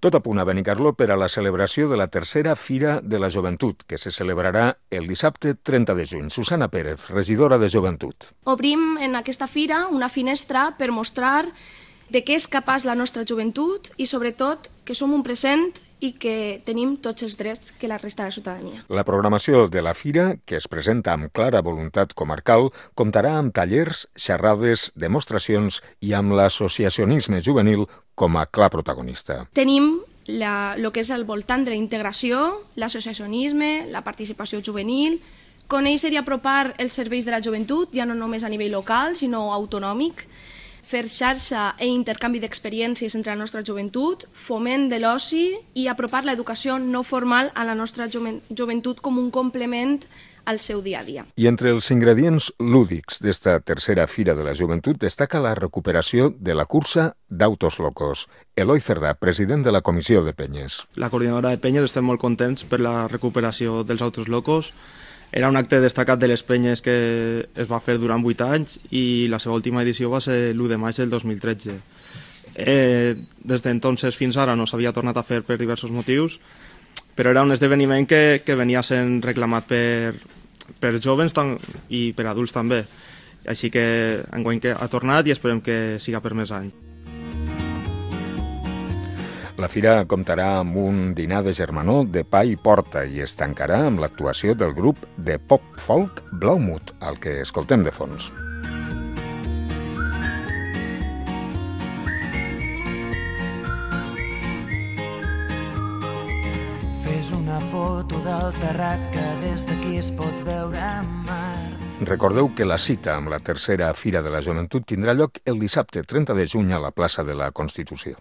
Tot a punt a Benicarló per a la celebració de la tercera Fira de la Joventut, que se celebrarà el dissabte 30 de juny. Susana Pérez, regidora de Joventut. Obrim en aquesta fira una finestra per mostrar de què és capaç la nostra joventut i, sobretot, que som un present i que tenim tots els drets que la resta de la ciutadania. La programació de la fira, que es presenta amb clara voluntat comarcal, comptarà amb tallers, xerrades, demostracions i amb l'associacionisme juvenil com a clar protagonista. Tenim el que és al voltant de la integració, l'associacionisme, la participació juvenil, conèixer i apropar els serveis de la joventut, ja no només a nivell local, sinó autonòmic, fer xarxa i intercanvi d'experiències entre la nostra joventut, foment de l'oci i apropar l'educació no formal a la nostra joventut com un complement al seu dia a dia. I entre els ingredients lúdics d'esta tercera Fira de la Joventut destaca la recuperació de la cursa d'autos locos. Eloi Cerdà, president de la Comissió de Penyes. La coordinadora de Penyes estem molt contents per la recuperació dels autos locos. Era un acte destacat de les penyes que es va fer durant 8 anys i la seva última edició va ser l'1 de maig del 2013. Des d'entonces fins ara no s'havia tornat a fer per diversos motius, però era un esdeveniment que venia sent reclamat per jovens i per adults també. Així que enguany que ha tornat i esperem que siga per més anys. La fira comptarà amb un dinar de germanor de pa i porta i es tancarà amb l'actuació del grup de pop-folk Blaumut, al que escoltem de fons. Fes una foto del terrat que des d'aquí es pot veure Mart. Recordeu que la cita amb la tercera Fira de la Joventut tindrà lloc el dissabte 30 de juny a la plaça de la Constitució.